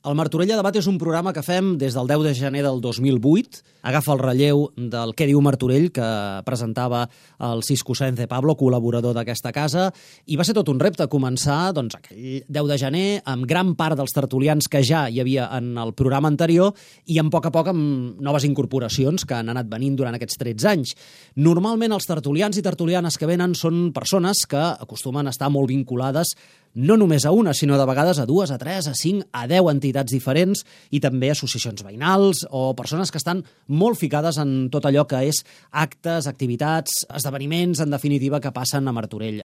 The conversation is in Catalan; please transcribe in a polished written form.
El Martorell a Debat és un programa que fem des del 10 de gener del 2008. Agafa el relleu del Què diu Martorell, que presentava el Cisco Sáenz de Pablo, col·laborador d'aquesta casa, i va ser tot un repte començar aquell 10 de gener amb gran part dels tertulians que ja hi havia en el programa anterior i a poc amb noves incorporacions que han anat venint durant aquests 13 anys. Normalment els tertulians i tertulianes que venen són persones que acostumen a estar molt vinculades no només a una, sinó de vegades a 2, a 3, a 5, a 10 entitats diferents i també associacions veïnals o persones que estan molt ficades en tot allò que és actes, activitats, esdeveniments, en definitiva, que passen a Martorell.